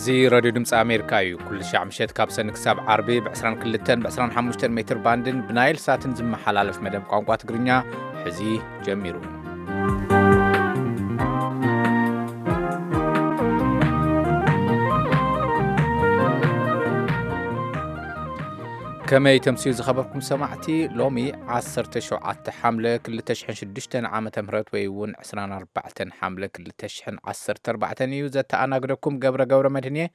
እዚ ሬድዮ ድምፂ ኣሜሪካ እዩ። ኩሉ ሻዕ ምሸት ካብ ሰኒ ክሳብ ዓርቢ ብ22ን ብ25 ሜትር ባንድን ብናይል ሳትን ዝመሓላለፍ መደብ ቋንቋ ትግርኛ ሕዚ ጀሚሩ። ከመይ ተምስዩ ዝኸበርኩም ሰማዕቲ? ሎሚ 17 ሓምለ 2006 ዓመተ ምህረት ወይ እውን 24 ሓምለ 2014 እዩ። ዘተኣናግደኩም ገብረ ገብረ መድህን እየ።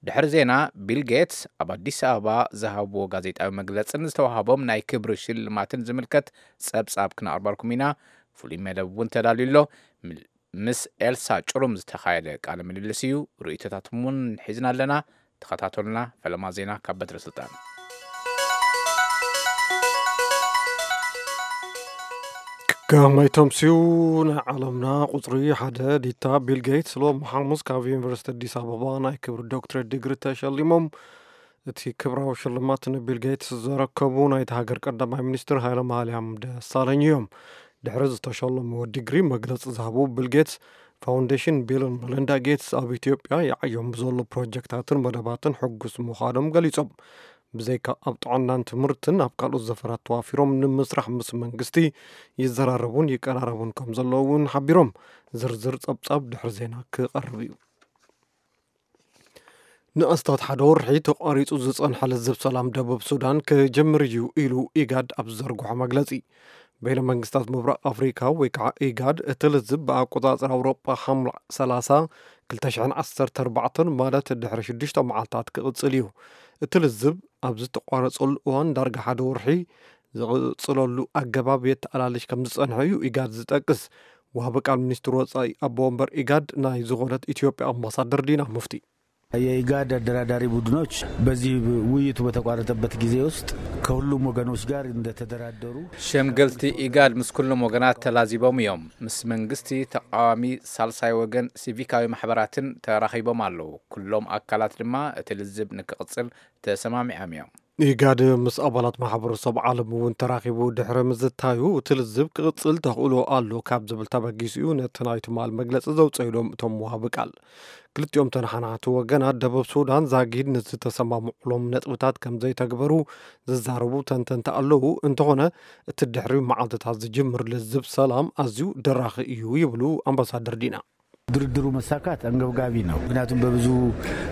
ድሕሪ ዜና፣ ቢል ጌትስ ኣብ ኣዲስ ኣበባ ዝሃብዎ ጋዜጣዊ መግለጽን ዝተዋህቦም ናይ ክብሪ ሽልማትን ዝምልከት ጸብጻብ ክነቕርበልኩም ኢና። ፍሉይ መደብ እውን ተዳልዩ ኣሎ። ምስ ኤልሳ ጭሩም ዝተኻየደ ቃለ ምልልስ እዩ። ርእይቶታትኩም እውን ሒዝና ኣለና። ተኸታተሉና። ፈለማ ዜና ካብ በትረ ስልጣን። ከመይ ተምስዩ? ናይ ዓለምና ቁጽሪ ሓደ ዲታ ቢል ጌትስ ሎም ሓሙስ ካብ ዩኒቨርሲቲ ኣዲስ ኣበባ ናይ ክብሪ ዶክትሬት ዲግሪ ተሸሊሞም። እቲ ክብራዊ ሽልማት ንቢል ጌትስ ዘረከቡ ናይቲ ሃገር ቀዳማይ ሚኒስትር ሃይለማርያም ደሳለኝ እዮም። ድሕሪ ዝተሸለምዎ ዲግሪ መግለጺ ዝሃቡ ቢል ጌትስ፣ ፋውንዴሽን ቢልን መለንዳ ጌትስ ኣብ ኢትዮጵያ ይዓዮም ብዘሎ ፕሮጀክታትን መደባትን ሕጉስ ምዃኖም ገሊጾም። ብዘይካ ኣብ ጥዕናን ትምህርትን ኣብ ካልኦት ዘፈራት ተዋፊሮም ንምስራሕ ምስ መንግስቲ ይዘራረቡን ይቀራረቡን ከም ዘለዉ እውን ሓቢሮም። ዝርዝር ጸብጻብ ድሕሪ ዜና ክቐርብ እዩ። ንኣስታት ሓደ ወርሒ ተቋሪጹ ዝጸንሐ ልዝብ ሰላም ደቡብ ሱዳን ክጅምር እዩ ኢሉ ኢጋድ ኣብ ዝዘርግሖ መግለጺ። በይነ መንግስታት ምብራቕ ኣፍሪካ ወይ ከዓ ኢጋድ እቲ ልዝብ ብኣቆጻጽራ ኣውሮጳ ሓምላ 30 2014 ማለት ድሕሪ ሽዱሽተ መዓልታት ክቕጽል እዩ። እቲ ልዝብ ኣብ ዝተቋረጸሉ እዋን ዳርጋ ሓደ ወርሒ ዝቕጽለሉ ኣገባብ የተኣላልሽ ከም ዝጸንሐ እዩ ኢጋድ ዝጠቅስ። ወሃቢ ቃል ሚኒስትር ወጻኢ ኣቦ ወንበር ኢጋድ ናይ ዝኾነት ኢትዮጵያ ኣምባሳደር ዲና ሙፍቲ። የኢጋድ አደራዳሪ ቡድኖች በዚህ ውይይቱ በተቋረጠበት ጊዜ ውስጥ ከሁሉም ወገኖች ጋር እንደተደራደሩ ሸምገልቲ ኢጋድ ምስ ኩሎም ወገናት ተላዚቦም እዮም። ምስ መንግስቲ፣ ተቃዋሚ፣ ሳልሳይ ወገን፣ ሲቪካዊ ማሕበራትን ተራኺቦም ኣለዉ። ኩሎም ኣካላት ድማ እቲ ልዝብ ንክቕጽል ተሰማሚዖም እዮም። ኢጋድ ምስ ኣባላት ማሕበረሰብ ዓለም እውን ተራኺቡ ድሕሪ ምዝታዩ እቲ ልዝብ ክቕጽል ተኽእሎ ኣሎ ካብ ዝብል ተበጊሱ እዩ ነቲ ናይ ትማል መግለጺ ዘውፀእሎም እቶም ወሃቢ ቃል። ክልቲኦም ተነሓናሕቲ ወገናት ደቡብ ሱዳን ዛጊድ ንዝተሰማምዑሎም ነጥብታት ከም ዘይተግበሩ ዝዛረቡ ተንተንቲ ኣለዉ። እንተኾነ እቲ ድሕሪ መዓልትታት ዝጅምር ልዝብ ሰላም ኣዝዩ ደራኺ እዩ ይብሉ ኣምባሳደር ዲና። ድርድሩ መሳካት አንገብጋቢ ነው። ምክንያቱም በብዙ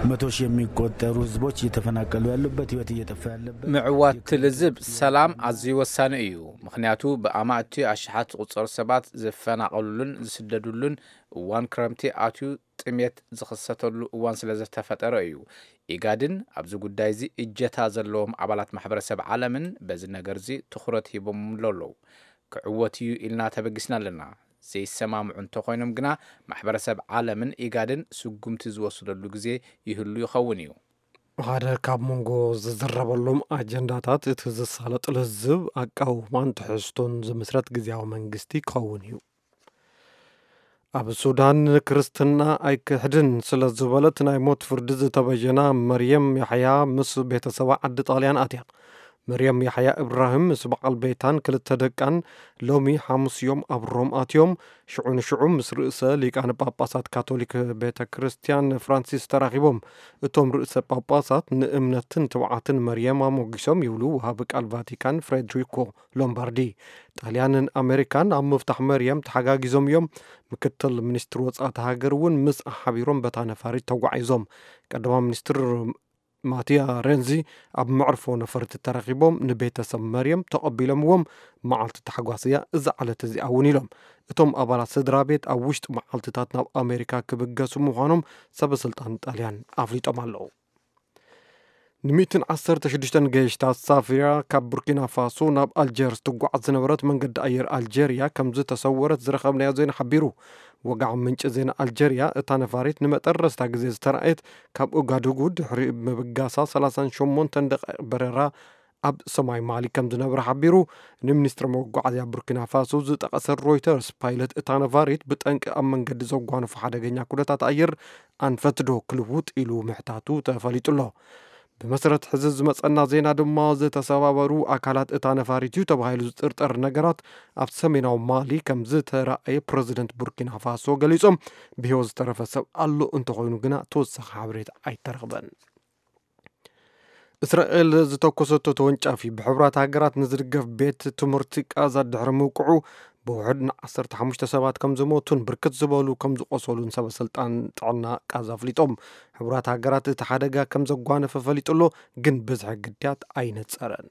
መቶ ሺህ የሚቆጠሩ ህዝቦች እየተፈናቀሉ ያሉበት፣ ህይወት እየጠፋ ያለበት ምዕዋት ልዝብ ሰላም ኣዝዩ ወሳኒ እዩ። ምክንያቱ ብኣማእቲ ኣሽሓት ዝቁጸሩ ሰባት ዝፈናቀሉሉን ዝስደዱሉን እዋን ክረምቲ ኣትዩ ጥሜት ዝኽሰተሉ እዋን ስለ ዝተፈጠረ እዩ። ኢጋድን ኣብዚ ጉዳይ እዚ እጀታ ዘለዎም ኣባላት ማሕበረሰብ ዓለምን በዚ ነገር እዚ ትኹረት ሂቦምሉ ኣለዉ። ክዕወት እዩ ኢልና ተበጊስና ኣለና። ዘይሰማምዑ እንተኾይኖም ግና ማሕበረሰብ ዓለምን ኢጋድን ስጉምቲ ዝወስደሉ ግዜ ይህሉ ይኸውን እዩ። ሓደ ካብ መንጎ ዝዝረበሎም ኣጀንዳታት እቲ ዝሳለጥ ልዝብ ኣቃውማን ትሕዝቶን ዝምስረት ግዜያዊ መንግስቲ ክኸውን እዩ። ኣብ ሱዳን ክርስትና ኣይክሕድን ስለ ዝበለት ናይ ሞት ፍርዲ ዝተበየና መርየም ያሕያ ምስ ቤተሰባ ዓዲ ጣልያን ኣትያ። መርየም ያሕያ እብራሂም ምስ በዓል ቤታን ክልተ ደቃን ሎሚ ሓሙስ እዮም ኣብ ሮም ኣትዮም። ሽዑ ንሽዑ ምስ ርእሰ ሊቃነ ጳጳሳት ካቶሊክ ቤተ ክርስቲያን ፍራንሲስ ተራኺቦም። እቶም ርእሰ ጳጳሳት ንእምነትን ትብዓትን መርየም ኣሞጊሶም ይብሉ ወሃቢ ቃል ቫቲካን ፍሬድሪኮ ሎምባርዲ። ጣልያንን ኣሜሪካን ኣብ ምፍታሕ መርየም ተሓጋጊዞም እዮም። ምክትል ሚኒስትር ወጻእቲ ሃገር እውን ምስ ሓቢሮም በታ ነፋሪት ተጓዒዞም። ቀዳማይ ሚኒስትር ማቲያ ሬንዚ ኣብ መዕርፎ ነፈርቲ ተረኺቦም ንቤተሰብ መርየም ተቐቢሎምዎም። መዓልቲ ታሕጓስ እያ እዛ ዕለት እዚኣ እውን ኢሎም። እቶም ኣባላት ስድራ ቤት ኣብ ውሽጢ መዓልትታት ናብ ኣሜሪካ ክብገሱ ምዃኖም ሰበ ስልጣን ጣልያን ኣፍሊጦም ኣለዉ። ን116 ገይሽታት ሳፊራ ካብ ቡርኪና ፋሶ ናብ ኣልጀርስ ትጓዓዝ ዝነበረት መንገዲ ኣየር ኣልጀርያ ከም ዝተሰወረት ዝረኸብናዮ ዜና ሓቢሩ። ወግዓዊ ምንጪ ዜና ኣልጀርያ፣ እታ ነፋሪት ንመጠረስታ ግዜ ዝተራእየት ካብ ኡጋዱጉ ድሕሪ ምብጋሳ 38 ደቂቕ በረራ ኣብ ሰማይ ማሊ ከም ዝነበረ ሓቢሩ። ንሚኒስትሪ መጓዓዝያ ቡርኪና ፋሶ ዝጠቐሰ ሮይተርስ፣ ፓይለት እታ ነፋሪት ብጠንቂ ኣብ መንገዲ ዘጓነፎ ሓደገኛ ኩነታት ኣየር ኣንፈት ዶ ክልውጥ ኢሉ ምሕታቱ ተፈሊጡ ኣሎ። ብመሰረት ሕዚ ዝመጸና ዜና ድማ፣ ዝተሰባበሩ ኣካላት እታ ነፋሪት እዩ ተባሂሉ ዝጥርጠር ነገራት ኣብ ሰሜናዊ ማሊ ከም ዝተራእየ ፕረዚደንት ቡርኪና ፋሶ ገሊጾም። ብህይወት ዝተረፈ ሰብ ኣሎ እንተኾይኑ ግና ተወሳኺ ሓበሬታ ኣይተረኽበን። እስራኤል ዝተኮሰቶ ተወንጫፊ ብሕቡራት ሃገራት ንዝድገፍ ቤት ትምህርቲ ቃዛ ድሕሪ ምውቅዑ፣ ብውሕድ ን ዓሰርተ ሓሙሽተ ሰባት ከም ዝሞቱን ብርክት ዝበሉ ከም ዝቆሰሉን ሰበ ስልጣን ጥዕና ቃዛ ኣፍሊጦም። ሕቡራት ሃገራት እቲ ሓደጋ ከም ዘጓነፈ ፈሊጡ ኣሎ፣ ግን ብዝሒ ግዳያት ኣይነጸረን።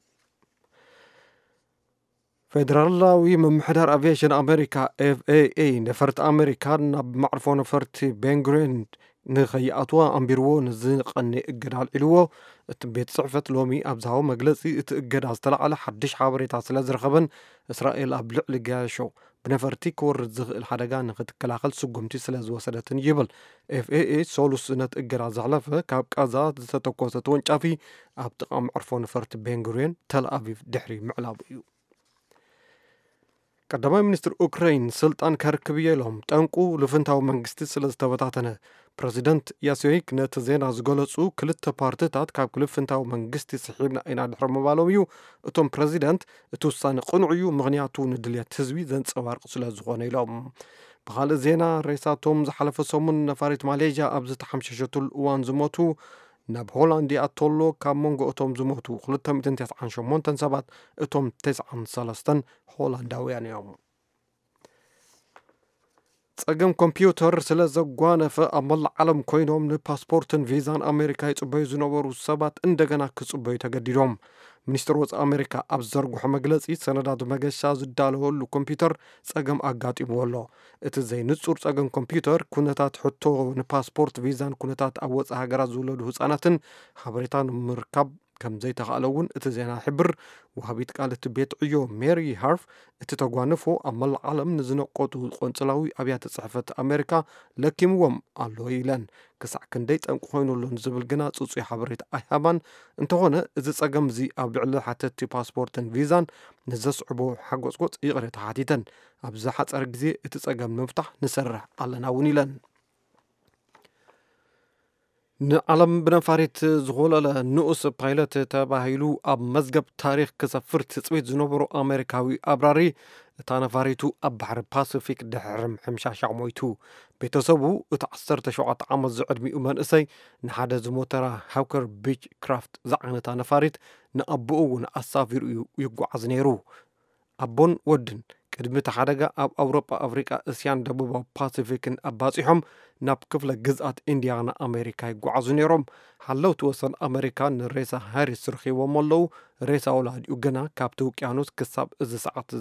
ፌደራላዊ ምምሕዳር ኣቪዬሽን ኣሜሪካ፣ ኤፍ ኤ ኤ፣ ነፈርቲ ኣሜሪካ ናብ መዕርፎ ነፈርቲ ቤንጉሪዮን ንኸይኣትዋ ኣንቢርዎ ንዝቐኒ እገዳ ኣልዒልዎ። እቲ ቤት ጽሕፈት ሎሚ ኣብ ዝሃቦ መግለጺ፣ እቲ እገዳ ዝተላዕለ ሓድሽ ሓበሬታ ስለ ዝረኸበን፣ እስራኤል ኣብ ልዕሊ ገያሾ ብነፈርቲ ክወርድ ዝኽእል ሓደጋ ንኽትከላኸል ስጉምቲ ስለ ዝወሰደትን ይብል። ኤፍ ኤ ኤ ሰሉስ ነቲ እገዳ ዘሕለፈ፣ ካብ ቃዛ ዝተተኮሰ ተወንጫፊ ኣብ ጥቓ መዕርፎ ነፈርቲ ቤንጉሪዮን ተል ኣቪቭ ድሕሪ ምዕላቡ እዩ። ቀዳማይ ሚኒስትር ኡክራይን ስልጣን ከርክብ እየ ኢሎም። ጠንቁ ልፍንታዊ መንግስቲ ስለ ዝተበታተነ። ፕረዚደንት ያሲዮይክ ነቲ ዜና ዝገለጹ፣ ክልተ ፓርትታት ካብ ክልፍንታዊ መንግስቲ ስሒብና ኢና ድሕሪ ምባሎም እዩ። እቶም ፕረዚደንት፣ እቲ ውሳነ ቅኑዕ እዩ፣ ምኽንያቱ ንድልየት ህዝቢ ዘንጸባርቕ ስለ ዝኾነ ኢሎም። ብኻልእ ዜና፣ ሬሳቶም ዝሓለፈ ሰሙን ነፋሪት ማሌዥያ ኣብ ዝተሓምሸሸትሉ እዋን ዝሞቱ ናብ ሆላንድ ይኣቶ ኣሎ። ካብ መንጎ እቶም ዝሞቱ ክልተ ሚእትን ተስዓን ሸሞንተን ሰባት፣ እቶም ተስዓን ሰለስተን ሆላንዳውያን እዮም። ጸገም ኮምፒውተር ስለ ዘጓነፈ፣ ኣብ መላእ ዓለም ኮይኖም ንፓስፖርትን ቪዛን ኣሜሪካ ይጽበዩ ዝነበሩ ሰባት እንደገና ክጽበዩ ተገዲዶም። ሚኒስትር ወጻኢ ኣሜሪካ ኣብ ዝዘርግሖ መግለጺ፣ ሰነዳት መገሻ ዝዳለወሉ ኮምፒውተር ጸገም ኣጋጢምዎ ኣሎ። እቲ ዘይንጹር ጸገም ኮምፒውተር፣ ኩነታት ሕቶ ንፓስፖርት ቪዛን ኩነታት ኣብ ወጻኢ ሃገራት ዝውለዱ ህጻናትን ሓበሬታ ንምርካብ ከም ዘይተኻእለ እውን እቲ ዜና ይሕብር። ወሃቢት ቃል እቲ ቤት ዕዮ ሜሪ ሃርፍ፣ እቲ ተጓንፎ ኣብ መላእ ዓለም ንዝነቆጡ ቆንጽላዊ ኣብያተ ጽሕፈት ኣሜሪካ ለኪምዎም ኣሎ ኢለን። ክሳዕ ክንደይ ጠንቂ ኮይኑ ኣሎ ንዝብል ግና ጽጹይ ሓበሬታ ኣይሃባን። እንተኾነ፣ እዚ ጸገም እዚ ኣብ ልዕሊ ሓተትቲ ፓስፖርትን ቪዛን ንዘስዕቦ ሓጎጽጎጽ ይቕሬታ ሓቲተን። ኣብ ዝሓጸረ ግዜ እቲ ጸገም ንምፍታሕ ንሰርሕ ኣለና እውን ኢለን። ንዓለም ብነፋሪት ዝኾለለ ንኡስ ፓይለት ተባሂሉ ኣብ መዝገብ ታሪኽ ክሰፍር ትጽቢት ዝነበሮ ኣሜሪካዊ ኣብራሪ፣ እታ ነፋሪቱ ኣብ ባሕሪ ፓሲፊክ ድሕሪ ምሕምሻሻ ሞይቱ። ቤተሰቡ፣ እቲ ዓሰርተ ሸውዓተ ዓመት ዝዕድሚኡ መንእሰይ፣ ንሓደ ዝሞተራ ሃውከር ቢች ክራፍት ዝዓይነታ ነፋሪት ንኣቦኡ እውን ኣሳፊሩ እዩ ይጓዓዝ ነይሩ። ኣቦን ወድን ቅድሚ እቲ ሓደጋ ኣብ ኣውሮጳ፣ ኣፍሪቃ፣ እስያን ደቡባዊ ፓሲፊክን ኣባጺሖም ናብ ክፍለ ግዝኣት ኢንዲያና ኣሜሪካ ይጓዓዙ ነይሮም። ሓለውቲ ወሰን ኣሜሪካ ንሬሳ ሃሪስ ረኺቦም ኣለዉ። ሬሳ ወላዲኡ ግና ካብቲ ውቅያኖስ ክሳብ እዚ ሰዓት፣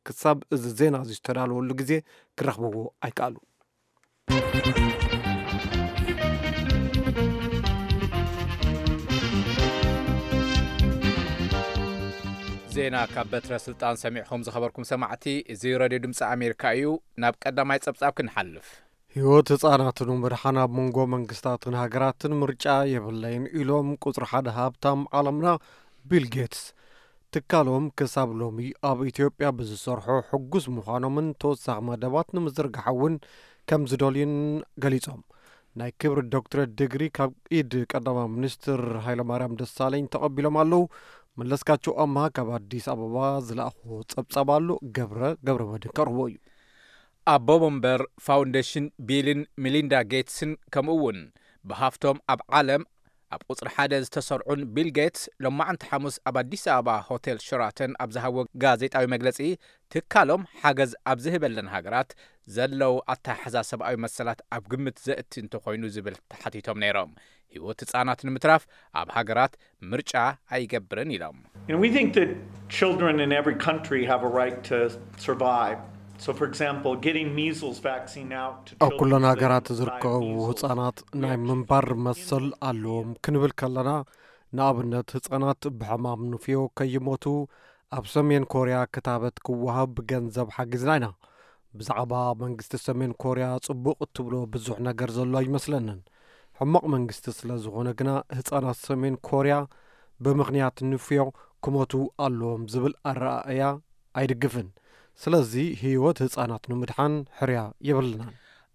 ክሳብ እዚ ዜና እዚ ዝተዳለወሉ ግዜ ክረኽብዎ ኣይከኣሉ። ዜና ካብ በትረ ስልጣን ሰሚዕኹም ዝኸበርኩም ሰማዕቲ፣ እዚ ሬድዮ ድምፂ ኣሜሪካ እዩ። ናብ ቀዳማይ ጸብጻብ ክንሓልፍ። ህይወት ህጻናት ንምድሓን ኣብ መንጎ መንግስታትን ሃገራትን ምርጫ የብለይን ኢሎም ቁጽሪ ሓደ ሃብታም ዓለምና ቢል ጌትስ። ትካሎም ክሳብ ሎሚ ኣብ ኢትዮጵያ ብዝሰርሖ ሕጉስ ምዃኖምን ተወሳኺ መደባት ንምዝርጋሕ እውን ከም ዝደልዩን ገሊጾም። ናይ ክብሪ ዶክትሬት ዲግሪ ካብ ኢድ ቀዳማይ ሚኒስትር ሃይለማርያም ደሳለኝ ተቐቢሎም ኣለዉ። መለስካቸው ኣምሃ ካብ ኣዲስ ኣበባ ዝለኣኾ ጸብጻብ ኣሎ። ገብረ ገብረ መድን ከቕርቦ እዩ። ኣቦ መንበር ፋውንዴሽን ቢልን ሚሊንዳ ጌትስን ከምኡ እውን ብሃፍቶም ኣብ ዓለም ኣብ ቁጽሪ ሓደ ዝተሰርዑን ቢል ጌትስ ሎማዕንቲ ሓሙስ ኣብ ኣዲስ ኣበባ ሆቴል ሸራተን ኣብ ዝሃቦ ጋዜጣዊ መግለጺ፣ ትካሎም ሓገዝ ኣብ ዝህበለን ሃገራት ዘለዉ ኣተሓሕዛ ሰብኣዊ መሰላት ኣብ ግምት ዘእቲ እንተኾይኑ ዝብል ተሓቲቶም ነይሮም። ህይወት ህጻናት ንምትራፍ ኣብ ሃገራት ምርጫ ኣይገብርን ኢሎም። And we think that children in every country have a right to survive. So, for example, getting measles vaccine out to ኣብ ኩለን ሃገራት ዝርከቡ ህጻናት ናይ ምንባር መሰል ኣለዎም ክንብል ከለና፣ ንኣብነት ህጻናት ብሕማም ንፍዮ ከይሞቱ ኣብ ሰሜን ኮርያ ክታበት ክወሃብ ብገንዘብ ሓጊዝና ኢና። ብዛዕባ መንግስቲ ሰሜን ኮርያ ጽቡቕ እትብሎ ብዙሕ ነገር ዘሎ ኣይመስለንን። ሕማቕ መንግስቲ ስለ ዝኾነ ግና ህጻናት ሰሜን ኮርያ ብምኽንያት ንፍዮ ክሞቱ ኣለዎም ዝብል ኣረኣእያ ኣይድግፍን። ስለዚ ህይወት ህጻናት ንምድሓን ሕርያ የብልናን።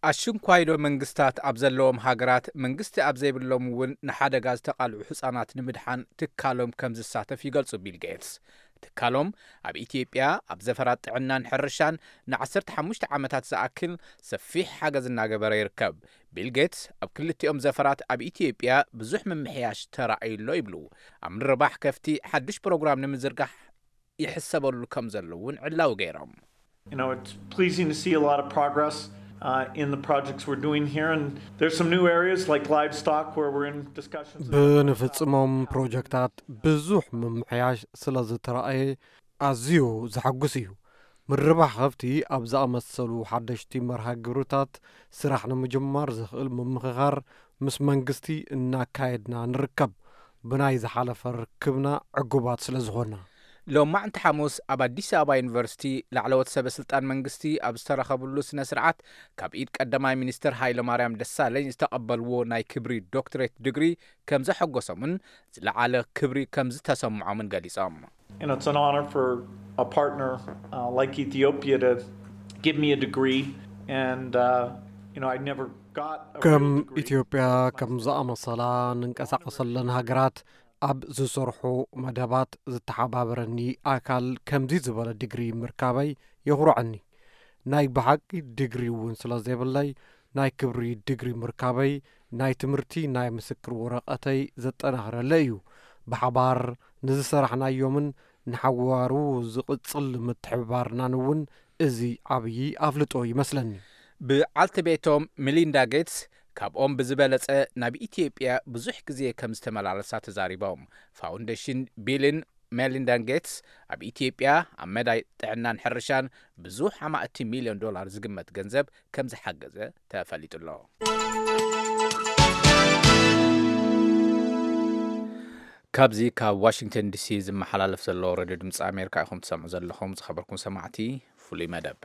ኣሽንኳይዶ መንግስታት ኣብ ዘለዎም ሃገራት መንግስቲ ኣብ ዘይብሎም እውን ንሓደጋ ዝተቓልዑ ህጻናት ንምድሓን ትካሎም ከም ዝሳተፍ ይገልጹ ቢል ጌትስ። ትካሎም ኣብ ኢትዮጵያ ኣብ ዘፈራት ጥዕናን ሕርሻን ንዓሰርተ ሓሙሽተ ዓመታት ዝኣክል ሰፊሕ ሓገዝ እናገበረ ይርከብ። ቢል ጌትስ ኣብ ክልቲኦም ዘፈራት ኣብ ኢትዮጵያ ብዙሕ ምምሕያሽ ተራእዩ ኣሎ ይብሉ። ኣብ ምርባሕ ከፍቲ ሓዱሽ ፕሮግራም ንምዝርጋሕ ይሕሰበሉ ከም ዘሎ እውን ዕላዊ ገይሮም። You know, it's pleasing to see a lot of progress uh, in the projects we're doing here, and there's some new areas like livestock where we're in discussions. ብንፍጽሞም ፕሮጀክታት ብዙሕ ምምሕያሽ ስለ ዝተረኣየ ኣዝዩ ዘሐጉስ እዩ። ምርባሕ ከፍቲ ኣብ ዝኣመሰሉ ሓደሽቲ መርሃ ግብርታት ስራሕ ንምጅማር ዘኽእል ምምኽኻር ምስ መንግስቲ እናካየድና ንርከብ። ብናይ ዝሓለፈ ርክብና ዕጉባት ስለ ዝኾና። ሎማዕንቲ ሓሙስ ኣብ ኣዲስ ኣበባ ዩኒቨርሲቲ ላዕለዎት ሰበ ስልጣን መንግስቲ ኣብ ዝተረኸብሉ ስነ ስርዓት ካብ ኢድ ቀዳማይ ሚኒስትር ሃይለማርያም ደሳለኝ ዝተቐበልዎ ናይ ክብሪ ዶክትሬት ድግሪ ከም ዘሐጎሶምን ዝለዓለ ክብሪ ከም ዝተሰምዖምን ገሊጾም። You know, it's an honor for a partner uh, like Ethiopia to give me a degree, and uh, you know, I never got a ከም real degree. ኢትዮጵያ ከም ዝኣመሰላ ንንቀሳቐሰለን ሃገራት ኣብ ዝሰርሑ መደባት ዝተሓባበረኒ ኣካል ከምዚ ዝበለ ድግሪ ምርካበይ የኹርዐኒ። ናይ ብሓቂ ድግሪ እውን ስለ ዘይብለይ ናይ ክብሪ ድግሪ ምርካበይ ናይ ትምህርቲ ናይ ምስክር ወረቐተይ ዘጠናኽረለ እዩ። ብሓባር ንዝሰራሕናዮምን ንሓዋሩ ዝቕጽል ምትሕብባርናን እውን እዚ ዓብዪ ኣፍልጦ ይመስለኒ። ብዓልቲ ቤቶም ሚሊንዳ ጌትስ ካብኦም ብዝበለጸ ናብ ኢትዮጵያ ብዙሕ ግዜ ከም ዝተመላለሳ ተዛሪቦም። ፋውንዴሽን ቢልን ሜሊንዳን ጌትስ ኣብ ኢትዮጵያ ኣብ መዳይ ጥዕናን ሕርሻን ብዙሕ ኣማእቲ ሚልዮን ዶላር ዝግመት ገንዘብ ከም ዝሓገዘ ተፈሊጡ ኣሎ። ካብዚ ካብ ዋሽንግተን ዲሲ ዝመሓላለፍ ዘሎ ሬድዮ ድምፂ ኣሜሪካ ኢኹም ትሰምዑ ዘለኹም። ዝኸበርኩም ሰማዕቲ፣ ፍሉይ መደብ።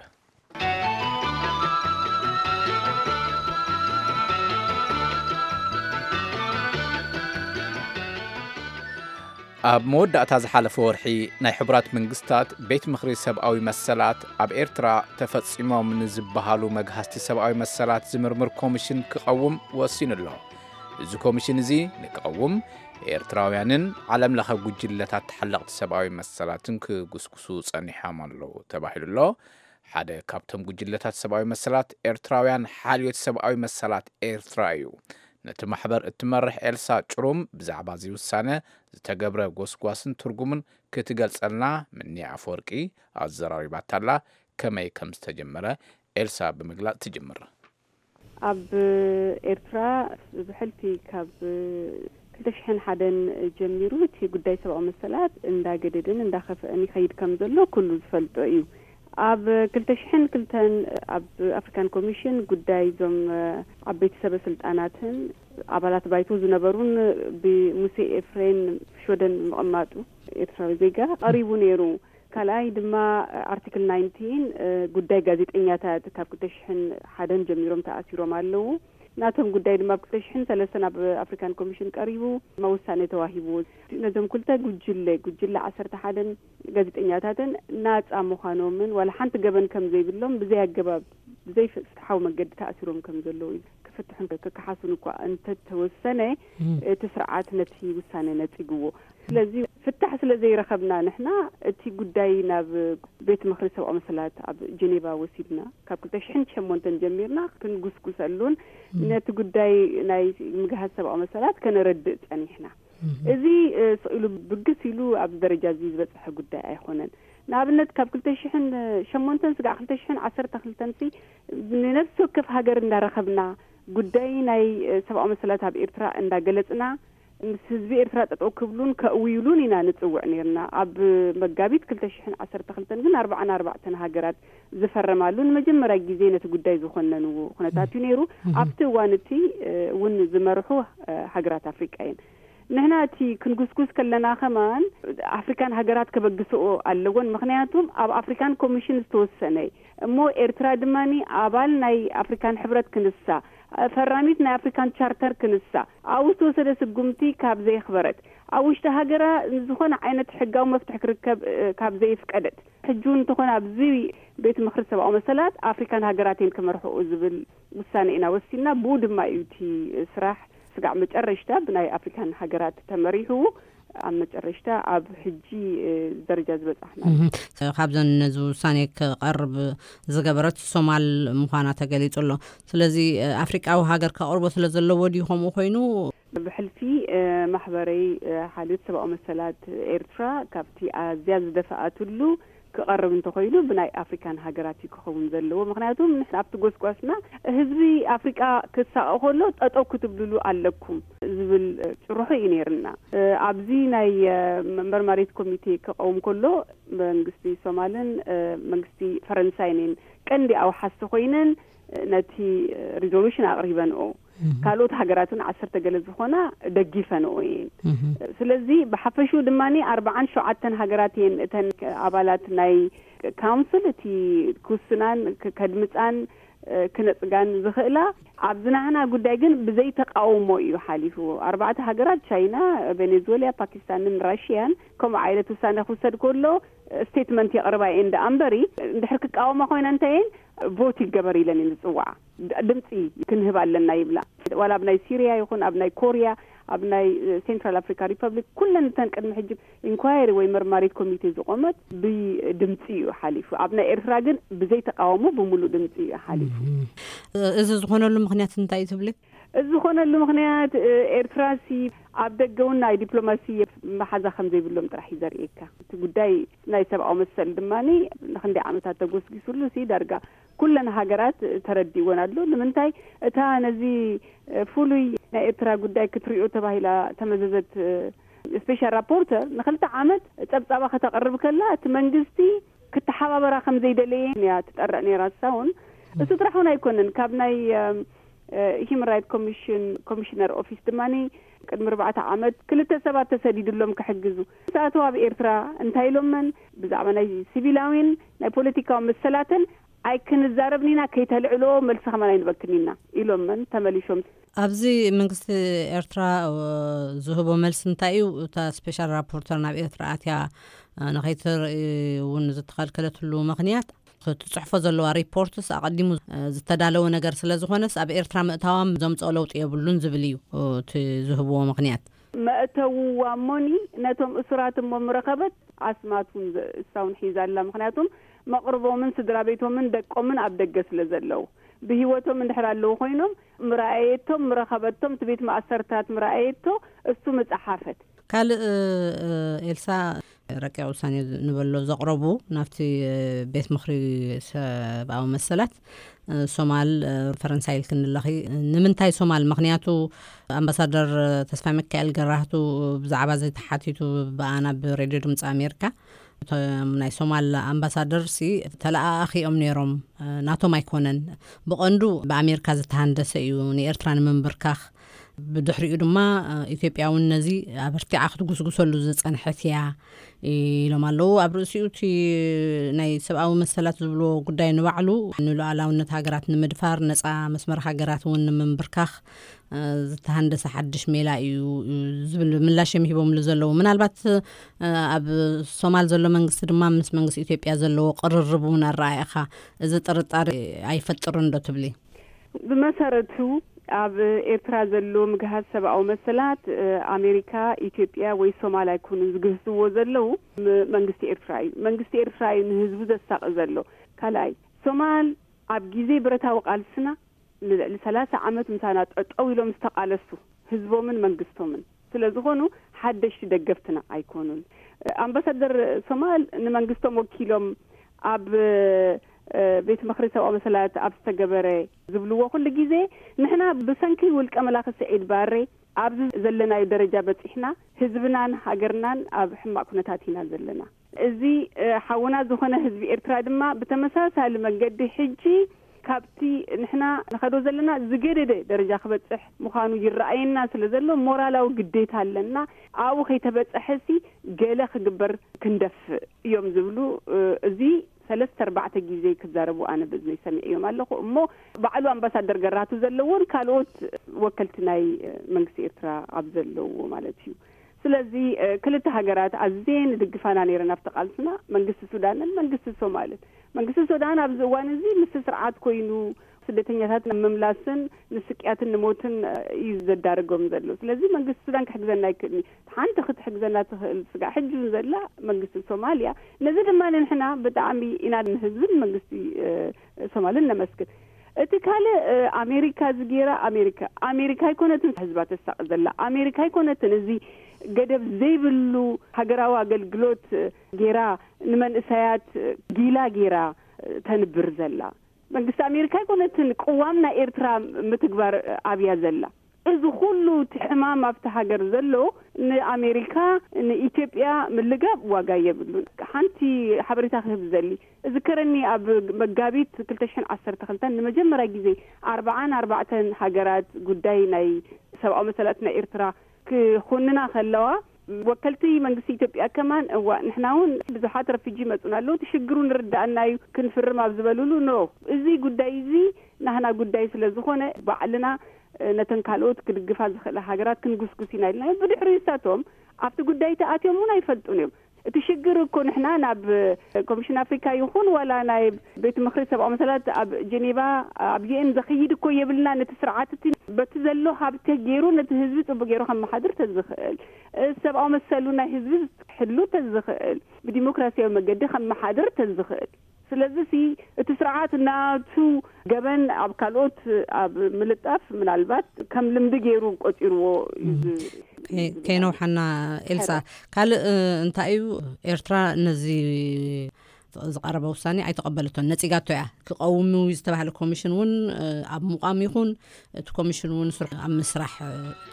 ኣብ መወዳእታ ዝሓለፈ ወርሒ ናይ ሕቡራት መንግስታት ቤት ምኽሪ ሰብኣዊ መሰላት ኣብ ኤርትራ ተፈጺሞም ንዝበሃሉ መግሃስቲ ሰብኣዊ መሰላት ዝምርምር ኮሚሽን ክቐውም ወሲኑ ኣሎ። እዚ ኮሚሽን እዚ ንክቐውም ኤርትራውያንን ዓለም ለኸ ጉጅለታት ተሓለቕቲ ሰብኣዊ መሰላትን ክጉስጉሱ ጸኒሖም ኣለዉ ተባሂሉ ኣሎ። ሓደ ካብቶም ጉጅለታት ሰብኣዊ መሰላት ኤርትራውያን ሓልዮት ሰብኣዊ መሰላት ኤርትራ እዩ። ነቲ ማሕበር እትመርሕ ኤልሳ ጭሩም ብዛዕባ እዚ ውሳነ ዝተገብረ ጎስጓስን ትርጉምን ክትገልጸልና ምኒ ኣፈወርቂ ኣዘራሪባታላ። ከመይ ከም ዝተጀመረ ኤልሳ ብምግላጽ ትጅምር። ኣብ ኤርትራ ብሕልፊ ካብ ክልተ ሽሕን ሓደን ጀሚሩ እቲ ጉዳይ ሰብኣዊ መሰላት እንዳገደደን እንዳኸፍአን ይኸይድ ከም ዘሎ ኩሉ ዝፈልጦ እዩ። ኣብ ክልተ ሽሕን ክልተን ኣብ ኣፍሪካን ኮሚሽን ጉዳይ እዞም ዓበይቲ ሰበ ስልጣናትን ኣባላት ባይቶ ዝነበሩን ብሙሴ ኤፍሬም ሽወደን ምቕማጡ ኤርትራዊ ዜጋ ቀሪቡ ነይሩ። ካልኣይ ድማ ኣርቲክል ናይንቲን ጉዳይ ጋዜጠኛታት ካብ ክልተ ሽሕን ሓደን ጀሚሮም ተኣሲሮም ኣለዉ። ናቶም ጉዳይ ድማ ኣብ ክልተ ሽሕን ሰለስተን ኣብ ኣፍሪካን ኮሚሽን ቀሪቡ ድማ ውሳኔ ተዋሂብዎ። ነዞም ክልተ ጉጅለ ጉጅለ ዓሰርተ ሓደን ጋዜጠኛታትን ናፃ ምዃኖምን ዋላ ሓንቲ ገበን ከም ዘይብሎም ብዘይ ኣገባብ ብዘይ ፍትሓዊ መገዲ ተኣሲሮም ከም ዘለዉ እዩ ክፍትሑን ክከሓሱን እኳ እንተተወሰነ እቲ ስርዓት ነቲ ውሳነ ነፂግዎ። ስለዚ ፍታሕ ስለ ዘይረኸብና ንሕና እቲ ጉዳይ ናብ ቤት ምኽሪ ሰብኣዊ መሰላት ኣብ ጀኔቫ ወሲድና ካብ ክልተ ሽሕን ሸሞንተን ጀሚርና ክንጉስጉሰሉን ነቲ ጉዳይ ናይ ምግሃስ ሰብኣዊ መሰላት ከነረድእ ጸኒሕና። እዚ ስቕ ኢሉ ብግስ ኢሉ ኣብዚ ደረጃ እዚ ዝበጽሐ ጉዳይ ኣይኮነን። ንኣብነት ካብ ክልተ ሽሕን ሸሞንተን ስጋዕ ክልተ ሽሕን ዓሰርተ ክልተን ሲ ንነፍሲ ወከፍ ሃገር እንዳረኸብና ጉዳይ ናይ ሰብኣዊ መሰላት ኣብ ኤርትራ እንዳገለጽና ምስ ህዝቢ ኤርትራ ጠጠው ክብሉን ከእውይሉን ኢና ንጽውዕ ነይርና። ኣብ መጋቢት ክልተ ሽሕን ዓሰርተ ክልተን ግን ኣርባዓን ኣርባዕተን ሃገራት ዝፈረማሉ ንመጀመርያ ግዜ ነቲ ጉዳይ ዝኾነንዎ ኩነታት እዩ ነይሩ። ኣብቲ እዋን እቲ እውን ዝመርሑ ሃገራት ኣፍሪቃ እየን። ንሕና እቲ ክንጉስጉስ ከለና ከማን ኣፍሪካን ሃገራት ከበግስኦ ኣለዎን። ምክንያቱም ኣብ ኣፍሪካን ኮሚሽን ዝተወሰነ እሞ ኤርትራ ድማ ኣባል ናይ ኣፍሪካን ሕብረት ክንሳ ፈራሚት ናይ ኣፍሪካን ቻርተር ክንሳ ኣብኡ ዝተወሰደ ስጉምቲ ካብ ዘየኽበረት ኣብ ውሽጢ ሃገራ ዝኾነ ዓይነት ሕጋዊ መፍትሒ ክርከብ ካብ ዘይፍቀደት፣ ሕጂ እውን እንተኾነ ኣብዚ ቤት ምኽሪ ሰብኣዊ መሰላት ኣፍሪካን ሃገራትን ክመርሕኡ ዝብል ውሳነ ኢና ወሲና። ብኡ ድማ እዩ እቲ ስራሕ ስጋዕ መጨረሽታ ብናይ ኣፍሪካን ሃገራት ተመሪሑ ኣብ መጨረሽታ ኣብ ሕጂ ደረጃ ዝበጻሕና። ካብዘን ነዚ ውሳኔ ክቐርብ ዝገበረት ሶማል ምዃና ተገሊጹ ኣሎ። ስለዚ ኣፍሪቃዊ ሃገር ከቕርቦ ስለ ዘለዎ ድዩ ከምኡ ኮይኑ? ብሕልፊ ማሕበረይ ሓልዮት ሰብኣዊ መሰላት ኤርትራ ካብቲ ኣዝያ ዝደፈኣትሉ ክቐርብ እንተኾይኑ ብናይ ኣፍሪካን ሃገራት እዩ ክኸውን ዘለዎ። ምክንያቱ ኣብቲ ጎስጓስና ህዝቢ ኣፍሪቃ ክሳቐ ከሎ ጠጠው ክትብልሉ ኣለኩም ዝብል ጭርሖ እዩ ነይርና። ኣብዚ ናይ መርማሪት ኮሚቴ ክቐውም ከሎ መንግስቲ ሶማልን መንግስቲ ፈረንሳይን ቀንዲ ኣውሓስቲ ኮይነን ነቲ ሪዞሉሽን ኣቕሪበንኦ። ካልኦት ሃገራትን ዓሰርተ ገለ ዝኾና ደጊፈንኦ እየን። ስለዚ ብሓፈሽኡ ድማ ኣርባዓን ሸውዓተን ሃገራት እየን እተን ኣባላት ናይ ካውንስል እቲ ክውስናን ከድምፃን ክነፅጋን ዝኽእላ። ኣብዚ ናህና ጉዳይ ግን ብዘይ ተቃውሞ እዩ ሓሊፉ። ኣርባዕተ ሃገራት ቻይና፣ ቬኔዙዌላ፣ ፓኪስታንን ራሽያን ከምኡ ዓይነት ውሳነ ክውሰድ ከሎ ስቴትመንት የቕርባ እየን ደኣ እምበሪ እንድሕር ክቃወማ ኮይና እንተየን ቮት ይገበር ኢለን እየን ዝፅዋዓ። ድምፂ ክንህብ ኣለና ይብላ። ዋላ ኣብ ናይ ሲሪያ ይኹን ኣብ ናይ ኮሪያ ኣብ ናይ ሴንትራል ኣፍሪካ ሪፐብሊክ ኩለን እተን ቅድሚ ሕጂ ኢንኳየሪ ወይ መርማሪት ኮሚቴ ዝቆመት ብድምፂ እዩ ሓሊፉ። ኣብ ናይ ኤርትራ ግን ብዘይ ተቃውሞ ብምሉእ ድምፂ እዩ ሓሊፉ። እዚ ዝኾነሉ ምክንያት እንታይ እዩ ትብሊ? እዚ ዝኾነሉ ምክንያት ኤርትራሲ ኣብ ደገ እውን ናይ ዲፕሎማሲ መሓዛ ከም ዘይብሎም ጥራሕ እዩ ዘርእየካ። እቲ ጉዳይ ናይ ሰብኣዊ መሰል ድማ ንክንደይ ዓመታት ተጎስጊስሉ ሲ ዳርጋ ኩለን ሃገራት ተረዲእወን ኣሎ። ንምንታይ እታ ነዚ ፍሉይ ናይ ኤርትራ ጉዳይ ክትሪኦ ተባሂላ ተመዘዘት ስፔሻል ራፖርተር ንክልተ ዓመት ጸብጻባ ከተቕርብ ከላ እቲ መንግስቲ ክተሓባበራ ከም ዘይደለየ እያ ትጠርዕ ነይራ። እሳ እውን እሱ ጥራሕ እውን ኣይኮነን። ካብ ናይ ሂማን ራይት ኮሚሽን ኮሚሽነር ኦፊስ ድማ ቅድሚ ኣርባዕተ ዓመት ክልተ ሰባት ተሰዲድሎም ክሕግዙ ሰኣተው ኣብ ኤርትራ እንታይ ኢሎመን ብዛዕባ ናይ ሲቪላዊን ናይ ፖለቲካዊ መሰላትን ኣይክንዛረብን ኢና፣ ከይተልዕሎ መልሲ ከማን ኣይንበክን ኢና ኢሎመን ተመሊሾም። ኣብዚ መንግስቲ ኤርትራ ዝህቦ መልሲ እንታይ እዩ? እታ ስፔሻል ራፖርተር ናብ ኤርትራ ኣትያ ንኸይትርኢ እውን ዝተኸልከለትሉ ምኽንያት ክትጽሕፎ ዘለዋ ሪፖርትስ ኣቐዲሙ ዝተዳለወ ነገር ስለ ዝኾነስ ኣብ ኤርትራ ምእታዋም ዘምጽኦ ለውጢ የብሉን ዝብል እዩ እቲ ዝህብዎ ምኽንያት። መእተውዋ እሞኒ ነቶም እሱራት እሞ ምረኸበት ኣስማት እውን እሳ እውን ሒዛ ኣላ። ምኽንያቱም መቕርቦምን ስድራ ቤቶምን ደቆምን ኣብ ደገ ስለ ዘለዉ ብህይወቶም እንድሕር ኣለዉ ኮይኖም ምረኣየቶም ምረኸበቶም እቲ ቤት ማእሰርታት ምረኣየቶ እሱ ምጸሓፈት። ካልእ ኤልሳ ረቂቕ ውሳኔ ንበሎ ዘቕረቡ ናብቲ ቤት ምኽሪ ሰብኣዊ መሰላት ሶማል ፈረንሳይ ኢልክን ኣለኺ። ንምንታይ ሶማል? ምኽንያቱ ኣምባሳደር ተስፋ ሚካኤል ገራህቱ ብዛዕባ እዚ ተሓቲቱ ብኣና ብሬድዮ ድምፂ ኣሜሪካ እቶም ናይ ሶማል ኣምባሳደር ሲ ተለኣኣኺ እዮም ነይሮም። ናቶም ኣይኮነን፣ ብቐንዱ ብኣሜሪካ ዝተሃንደሰ እዩ ንኤርትራ ንምንብርካኽ። ብድሕሪኡ ድማ ኢትዮጵያ እውን ነዚ ኣበርቲዓ ክትጉስጉሰሉ ዝጸንሐት እያ ኢሎም ኣለዉ። ኣብ ርእሲኡ እቲ ናይ ሰብኣዊ መሰላት ዝብልዎ ጉዳይ ንባዕሉ ንሉዓላውነት ሃገራት ንምድፋር፣ ነጻ መስመር ሃገራት እውን ንምንብርካኽ ዝተሃንደሰ ሓድሽ ሜላ እዩ ዝብል ምላሽ እዮም ሂቦምሉ ዘለዉ። ምናልባት ኣብ ሶማል ዘሎ መንግስቲ ድማ ምስ መንግስቲ ኢትዮጵያ ዘለዎ ቅርርብ እውን ኣረኣእኻ እዚ ጥርጣሬ ኣይፈጥርን ዶ ትብሊ? ብመሰረቱ ኣብ ኤርትራ ዘሎ ምግሃስ ሰብኣዊ መሰላት ኣሜሪካ፣ ኢትዮጵያ ወይ ሶማል ኣይኮኑን ዝግህስዎ ዘለዉ፣ መንግስቲ ኤርትራ እዩ። መንግስቲ ኤርትራ እዩ ንህዝቡ ዘሳቂ ዘሎ። ካልኣይ ሶማል ኣብ ግዜ ብረታዊ ቃልስና ንልዕሊ ሰላሳ ዓመት ምሳና ጠጠው ኢሎም ዝተቃለሱ ህዝቦምን መንግስቶምን ስለ ዝኾኑ ሓደሽቲ ደገፍትና ኣይኮኑን። ኣምባሳደር ሶማል ንመንግስቶም ወኪሎም ኣብ ቤት ምኽሪ ሰብኣዊ መሰላት ኣብ ዝተገበረ ዝብልዎ ኩሉ ግዜ ንሕና ብሰንኪ ውልቀ መላኺ ስዒድ ባሬ ኣብዚ ዘለናዮ ደረጃ በፂሕና ህዝብናን ሃገርናን ኣብ ሕማቅ ኩነታት ኢና ዘለና። እዚ ሓውና ዝኾነ ህዝቢ ኤርትራ ድማ ብተመሳሳሊ መንገዲ ሕጂ ካብቲ ንሕና ንኸዶ ዘለና ዝገደደ ደረጃ ክበፅሕ ምዃኑ ይረኣየና ስለ ዘሎ ሞራላዊ ግዴታ ኣለና። ኣብኡ ከይተበፀሐሲ ገለ ክግበር ክንደፍእ እዮም ዝብሉ እዚ ሰለስተ ኣርባዕተ ግዜ ክዛረቡ ኣነ ብእዝነይ ሰሚዐዮም ኣለኹ። እሞ ባዕሉ ኣምባሳደር ገራቱ ዘለዎን ካልኦት ወከልቲ ናይ መንግስቲ ኤርትራ ኣብ ዘለዎ ማለት እዩ። ስለዚ ክልተ ሃገራት ኣዝየን ዝድግፋና ነይረን ኣብቲ ቃልስና፣ መንግስቲ ሱዳንን መንግስቲ ሶማልን። መንግስቲ ሱዳን ኣብዚ እዋን እዚ ምስ ስርዓት ኮይኑ ስደተኛታት ንምምላስን ንስቅያትን ንሞትን እዩ ዘዳርጎም ዘሎ። ስለዚ መንግስቲ ሱዳን ክሕግዘና ኣይክእልኒ። ሓንቲ ክትሕግዘና ትኽእል ስጋዕ ሕጂ እውን ዘላ መንግስቲ ሶማልያ። ነዚ ድማ ንሕና ብጣዕሚ ኢና ንህዝብን መንግስቲ ሶማልን ነመስግን። እቲ ካልእ ኣሜሪካ እዚ ገይራ፣ ኣሜሪካ ኣሜሪካ ኣይኮነትን ህዝባ ተሳቂ ዘላ፣ ኣሜሪካ ኣይኮነትን እዚ ገደብ ዘይብሉ ሃገራዊ ኣገልግሎት ገይራ ንመንእሰያት ጊላ ገይራ ተንብር ዘላ። መንግስቲ ኣሜሪካ ኣይኮነትን ቅዋም ናይ ኤርትራ ምትግባር ኣብያ ዘላ። እዚ ኩሉ እቲ ሕማም ኣብቲ ሃገር ዘሎ ንኣሜሪካ ንኢትዮጵያ ምልጋብ ዋጋ የብሉን። ሓንቲ ሓበሬታ ክህብ ዝደሊ፣ እዝከረኒ ኣብ መጋቢት ክልተ ሽሕን ዓሰርተ ክልተን ንመጀመርያ ግዜ ኣርብዓን ኣርባዕተን ሃገራት ጉዳይ ናይ ሰብኣዊ መሰላት ናይ ኤርትራ ክኹንና ከለዋ፣ ወከልቲ መንግስቲ ኢትዮጵያ ከማን፣ እዋ ንሕና እውን ብዙሓት ረፊጂ ይመፁና ኣለዉ፣ እቲ ሽግሩ ንርዳእና እዩ ክንፍርም ኣብ ዝበሉሉ፣ ኖ፣ እዚ ጉዳይ እዚ ናህና ጉዳይ ስለ ዝኾነ ባዕልና ነተን ካልኦት ክድግፋ ዝኽእላ ሃገራት ክንጉስጉስ ኢና ኢልና እዮም። ብድሕሪ ንሳቶም ኣብቲ ጉዳይ ተኣትዮም እውን ኣይፈልጡን እዮም። እቲ ሽግር እኮ ንሕና ናብ ኮሚሽን ኣፍሪካ ይኹን ዋላ ናይ ቤት ምኽሪ ሰብኣዊ መሰላት ኣብ ጀኔቫ ኣብ ዩኤን ዘኽይድ እኮ የብልና። ነቲ ስርዓት እቲ በቲ ዘሎ ሃብቲ ገይሩ ነቲ ህዝቢ ጽቡቅ ገይሩ ከመሓድር ተዝኽእል፣ ሰብኣዊ መሰሉ ናይ ህዝቢ ዝሕሉ ተዝኽእል፣ ብዲሞክራሲያዊ መገዲ ከመሓድር ተዝኽእል። ስለዚ ሲ እቲ ስርዓት ናቱ ገበን ኣብ ካልኦት ኣብ ምልጣፍ ምናልባት ከም ልምዲ ገይሩ ቆጺርዎ እዩ ዝ- ከይ- ከይነውሓና ኤልሳ፣ ካልእ እንታይ እዩ ኤርትራ ነዚ ዝቐረበ ውሳኔ ኣይተቐበለቶን፣ ነጺጋቶ እያ። ክቐውም ዝተባህለ ኮሚሽን እውን ኣብ ምቋም ይኹን እቲ ኮሚሽን እውን ስርሑ ኣብ ምስራሕ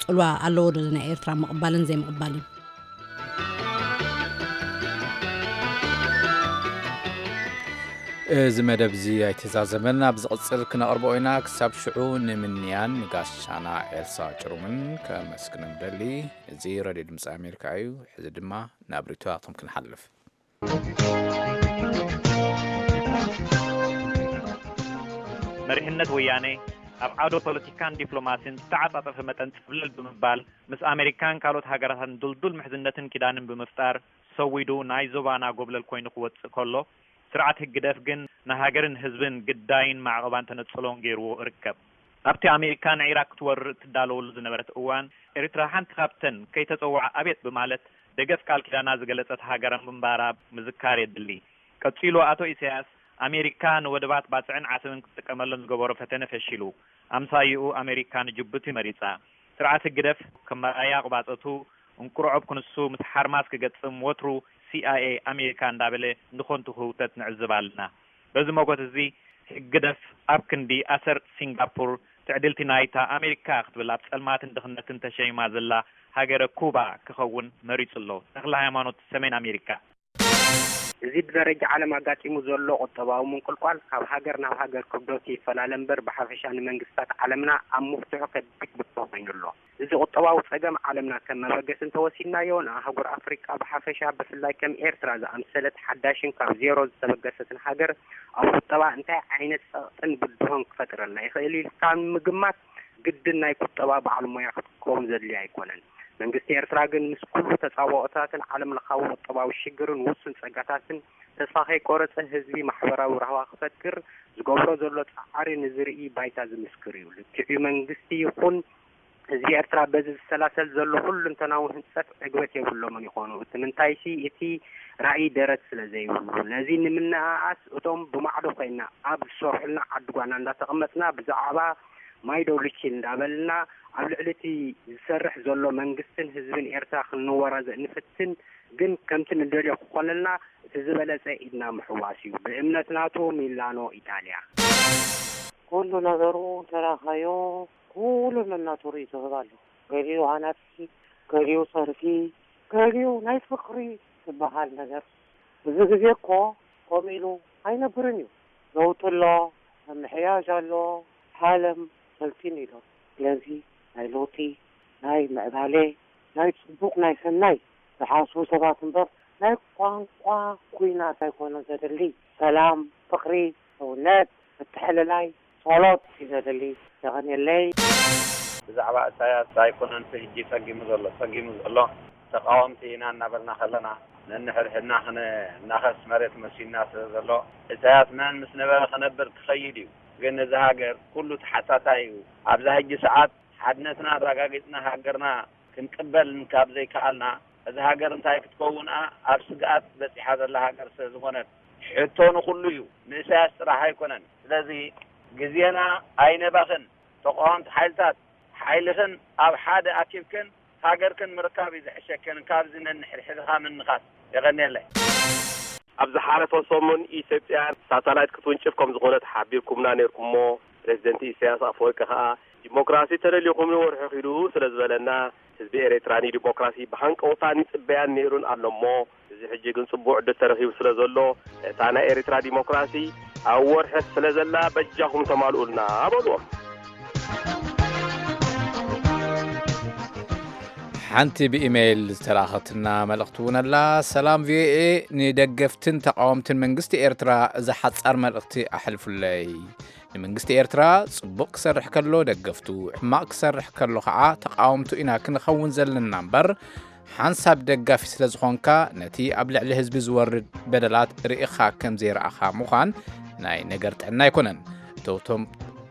ጽልዋ ኣለዎ ዶ ናይ ኤርትራ ምቕባልን ዘይምቕባልን? እዚ መደብ እዚ ኣይተዛዘመን፣ ኣብ ዝቕጽል ክነቕርቦ ኢና። ክሳብ ሽዑ ንምንያን ንጋሻና ኤልሳ ጭሩምን ከመስግን ንደሊ። እዚ ሬድዮ ድምፂ ኣሜሪካ እዩ። ሕዚ ድማ ናብ ሪቶራቶም ክንሓልፍ። መሪሕነት ወያነ ኣብ ዓውደ ፖለቲካን ዲፕሎማሲን ዝተዓጻጸፈ መጠን ጽብለል ብምባል ምስ ኣሜሪካን ካልኦት ሃገራትን ድልዱል ምሕዝነትን ኪዳንን ብምፍጣር ሰዊዱ ናይ ዞባና ጎብለል ኮይኑ ክወጽእ ከሎ፣ ስርዓት ህግደፍ ግን ንሃገርን ህዝብን ግዳይን ማዕቐባን ተነጽሎን ገይርዎ እርከብ። ኣብቲ ኣሜሪካ ንዒራቅ ክትወርር እትዳለወሉ ዝነበረት እዋን፣ ኤርትራ ሓንቲ ካብተን ከይተጸውዓ ኣቤት ብማለት ደገፍ ቃል ኪዳና ዝገለጸት ሃገር ምንባራ ምዝካር የድሊ። ቀጺሉ ኣቶ ኢሳያስ ኣሜሪካ ንወደባት ባጽዕን ዓሰብን ክትጥቀመሎም ዝገበሮ ፈተነ ፈሺሉ። ኣምሳይኡ ኣሜሪካ ንጅቡቲ መሪጻ። ስርዓት ህግደፍ ከም መርኣያ ቁባጸቱ እንቁርዖብ ክንሱ ምስ ሓርማዝ ክገጥም ወትሩ ሲኣይኤ ኣሜሪካ እንዳበለ ንኾንቱ ክህውተት ንዕዝብ ኣለና። በዚ መጎት እዚ ህግደፍ ኣብ ክንዲ ኣሰር ሲንጋፖር ትዕድልቲ ናይታ ኣሜሪካ ክትብል ኣብ ጸልማትን ድኽነትን ተሸይማ ዘላ ሃገረ ኩባ ክኸውን መሪጹ ኣሎ። ተኽለ ሃይማኖት ሰሜን ኣሜሪካ። እዚ ብደረጃ ዓለም ኣጋጢሙ ዘሎ ቁጠባዊ ምንቁልቋል ካብ ሃገር ናብ ሃገር ክብደቱ ይፈላለ እምበር ብሓፈሻ ንመንግስታት ዓለምና ኣብ ምፍትሑ ከቢድ ብድሆ ኮይኑ ኣሎ። እዚ ቁጠባዊ ጸገም ዓለምና ከም መበገሲ እንተወሲድናዮ ንኣህጉር ኣፍሪቃ ብሓፈሻ ብፍላይ ከም ኤርትራ ዝኣምሰለት ሓዳሽን ካብ ዜሮ ዝተበገሰትን ሃገር ኣብ ቁጠባ እንታይ ዓይነት ጸቕጥን ብድሆን ክፈጥረልና ይኽእል ኢልካ ንምግማት ግድን ናይ ቁጠባ በዓል ሞያ ክትከውን ዘድልዮ ኣይኮነን። መንግስቲ ኤርትራ ግን ምስ ኩሉ ተጻብኦታትን ዓለም ለኻዊ ቁጠባዊ ሽግርን ውሱን ጸጋታትን ተስፋ ከይቆረጸ ህዝቢ ማሕበራዊ ራህዋ ክፈጥር ዝገብሮ ዘሎ ጻዕሪ ንዝርኢ ባይታ ዝምስክር እዩ። ልክዕ እዩ መንግስቲ ይኹን ህዝቢ ኤርትራ በዚ ዝሰላሰል ዘሎ ሁለንተናዊ ህንጸት ዕግበት የብሎምን ይኾኑ። እቲ ምንታይሲ እቲ ራእይ ደረት ስለ ዘይብሉ። ነዚ ንምንእኣስ እቶም ብማዕዶ ኮይና ኣብ ዝሰርሑልና ዓዲ ጓና እንዳተቐመጥና ብዛዕባ ማይ ዶ ልቺ እንዳበልና ኣብ ልዕሊ እቲ ዝሰርሕ ዘሎ መንግስትን ህዝብን ኤርትራ ክንወራዘእ ንፍትን፣ ግን ከምቲ ንደልዮ ክኾነልና እቲ ዝበለጸ ኢድና ምሕዋስ እዩ። ብእምነት ናቱ ሚላኖ ኢጣልያ። ኩሉ ነገሩ እንተራኻዮ ኩሉ ነናቱ ርእዩ ዝህብ ኣሎ። ገሊኡ ሃናጺ፣ ገሊኡ ጸርፊ፣ ገሊኡ ናይ ፍቕሪ ዝበሃል ነገር። እዚ ግዜ እኮ ከምኡ ኢሉ ኣይነብርን እዩ። ለውጢ ኣሎ፣ ምምሕያሽ ኣሎ፣ ዓለም ሰልጢኑ ኢሉ። ስለዚ ናይ ለውጢ፣ ናይ ምዕባሌ፣ ናይ ጽቡቕ፣ ናይ ሰናይ ዝሓስቡ ሰባት እምበር ናይ ቋንቋ ኲናት ኣይኮነን ዘድሊ። ሰላም፣ ፍቕሪ፣ ሰውነት፣ ምትሕልላይ፣ ጸሎት እዩ ዘድሊ። የቐንየለይ። ብዛዕባ እሳያስ ኣይኮነን እቲ ሕጂ ጸጊሙ ዘሎ፣ ጸጊሙ ዘሎ ተቃወምቲ ኢና እናበልና ከለና ነንሕድሕድና ክነናኸስ መሬት መሲና ስለ ዘሎ፣ ኢሳያስ መን ምስ ነበረ ክነብር ክኸይድ እዩ። ግን እዚ ሃገር ኩሉ ተሓታታይ እዩ። ኣብዛ ሕጂ ሰዓት ሓድነትና ኣረጋጊጽና ሃገርና ክንቅበል ካብ ዘይከኣልና፣ እዚ ሃገር እንታይ ክትከውን ኣብ ስግኣት በጺሓ ዘላ ሃገር ስለ ዝኾነት፣ ሕቶ ንኹሉ እዩ፣ ንእሳያስ ጥራሕ ኣይኮነን። ስለዚ ግዜና ኣይነባኽን። ተቃወምቲ ሓይልታት፣ ሓይልኽን ኣብ ሓደ ኣኪብክን ሃገርክን ምርካብ እዩ ዝሕሸክን፣ ካብዚ ነንሕድሕድኻ ምንኻስ። የቐንየለይ። ኣብ ዝሓለፈ ሰሙን ኢትዮጵያ ሳተላይት ክትውንጭፍ ከም ዝኾነት ሓቢርኩምና ነይርኩሞ። ፕሬዚደንት ኢሳያስ ኣፈወርቂ ከኣ ዲሞክራሲ ተደልዩኹም ንወርሒ ኺዱ ስለ ዝበለና፣ ህዝቢ ኤርትራ ንዲሞክራሲ ብሃንቀውታን ይጽበያን ነይሩን ኣሎ እሞ፣ እዚ ሕጂ ግን ጽቡቕ ዕድል ተረኺቡ ስለ ዘሎ፣ ነታ ናይ ኤርትራ ዲሞክራሲ ኣብ ወርሒ ስለ ዘላ በጃኹም ተማልኡልና በልዎም። ሓንቲ ብኢሜይል ዝተላኸትና መልእኽቲ እውን ኣላ። ሰላም ቪኦኤ፣ ንደገፍትን ተቃወምትን መንግስቲ ኤርትራ እዛ ሓጻር መልእኽቲ ኣሕልፉለይ። ንመንግስቲ ኤርትራ ጽቡቕ ክሰርሕ ከሎ ደገፍቱ፣ ሕማቕ ክሰርሕ ከሎ ኸዓ ተቃወምቱ ኢና ክንኸውን ዘለና እምበር፣ ሓንሳብ ደጋፊ ስለ ዝኾንካ፣ ነቲ ኣብ ልዕሊ ህዝቢ ዝወርድ በደላት ርኢኻ ከም ዘይረኣኻ ምዃን ናይ ነገር ጥዕና ኣይኮነን። እቶም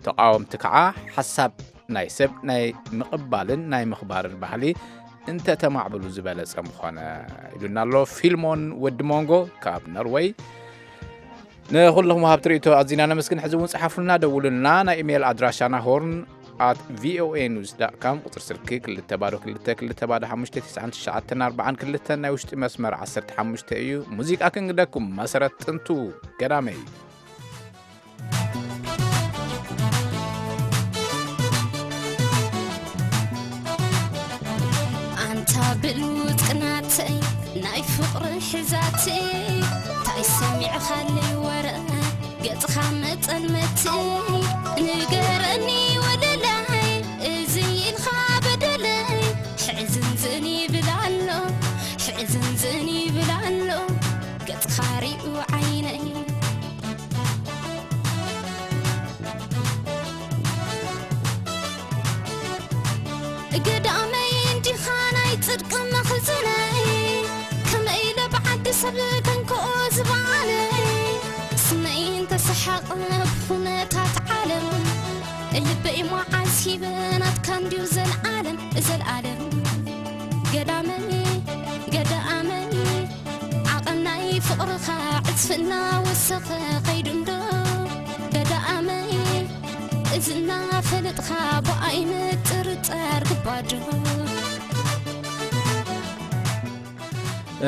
ተቃወምቲ ከዓ ሓሳብ ናይ ሰብ ናይ ምቕባልን ናይ ምኽባርን ባህሊ እንተ ተማዕብሉ ዝበለጸ ምኾነ፣ ኢሉና ኣሎ ፊልሞን ወዲ ሞንጎ ካብ ኖርወይ። ንኹልኹም ወሃብቲ ርእይቶ ኣዚና ነመስግን። ሕዚ እውን ጸሓፉልና፣ ደውሉልና። ናይ ኢሜይል ኣድራሻና ሆርን ኣት ቪኦኤ ኒውስ ዳት ካም፣ ቁጽሪ ስልኪ ክልተ ባዶ ክልተ ክልተ ባዶ ሓሙሽተ ትሽዓን ትሽዓተን ኣርባዓን ክልተን፣ ናይ ውሽጢ መስመር ዓሰርተ ሓሙሽተ እዩ። ሙዚቃ ክንግደኩም፣ መሰረት ጥንቱ ገዳመይ። ኣንታ ብሉጽ ቅናተይ ናይ ፍቕሪ ሕዛተይ፣ እንታይ ሰሚዕኻለይ ወረ ገጽኻ መጠልመተይ? ንገረኒ ወለላይ፣ እዚ ኢልካ በደለይ፣ ሕዝንዝን ይብል ኣሎ፣ ሕዝንዝን ይብል ኣሎ ገጽኻ ሪኡ ዓይነይ። ገዳመይ እንዲኻ ናይ ጽድቂ መኽዝነይ፣ ከመይ ኢለ ብዓዲ ሰብ ከንክኦ ዝበኣለይ? ስመይ እንተሰሓቐ ብኹነታት ዓለም፣ ልበይ መዓስ ሂበ ናትካ እንድዩ ዘልኣለም፣ ዘልኣለም። ገዳመይ፣ ገዳመይ፣ ዓቐን ናይ ፍቕርኻ ዕጽፊ እናወሰኸ ኸይዱ እንዶ፣ ገዳመይ፣ እዚ እናፈለጥኻ ብኣይ ምጥርጣር ግባዶ።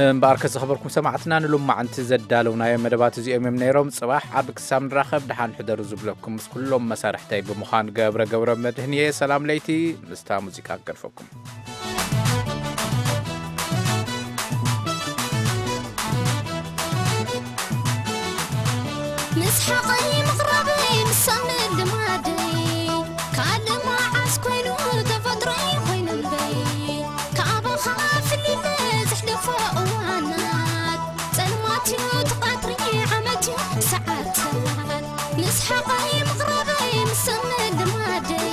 እምበኣርከ ዝኸበርኩም ሰማዕትና፣ ንሎማዓንቲ ዘዳለውናዮም መደባት እዚኦም እዮም ነይሮም። ጽባሕ ኣብ ክሳብ ንራኸብ ደሓን ሕደሩ ዝብለኩም ምስ ኩሎም መሳርሕተይ ብምዃን ገብረ ገብረ መድህን እየ። ሰላም ለይቲ ምስታ ሙዚቃ ክገድፈኩም። ምስ ሓቐይ ምቕራበይ ምስ ሰምዕ ልማደይ፣ ካልእ መዓስ ኮይኑ ተፈጥሮይ ኮይኑ እምበይ፣ ካባኻ ፍሊለ ዘሕልፎ እዋናት፣ ጸልማት እዩ እቲ ቀትሪ ዓመት እዩ ሰዓታት፣ ምስ ሓቐይ ምቕራበይ ምስ ሰምዕ ልማደይ፣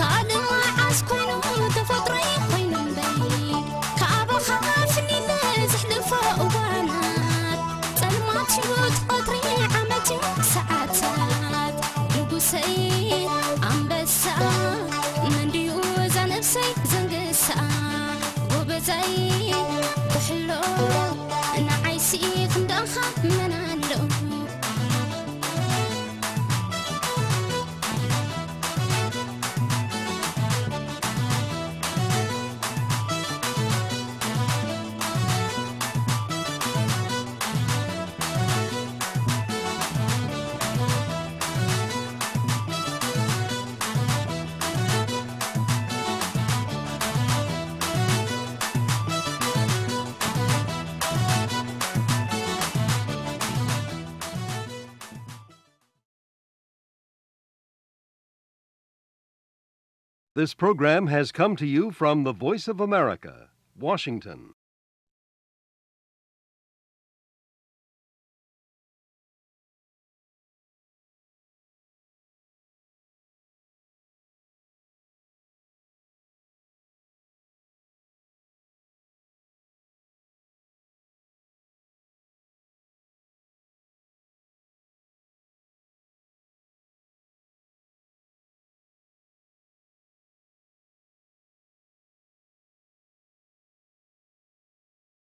ካልእ መዓስ ኮይኑ ተፈጥሮይ ኮይኑ እምበይ፣ ካባኻ ፍሊለ ዘሕልፎ እዋናት፣ ጸልማት እዩ እቲ ቀትሪ ዓመት እዩ ሰዓታት። ንጉሰይ ኣንበሳ፣ መን ድዩ እዛ ነብሰይ ዘንግሳ? ጎበዛይ ክሕሎ፣ ንዓይሲ ክንዳኻ መን ኣሎ? This program has come to you from the Voice of America, Washington.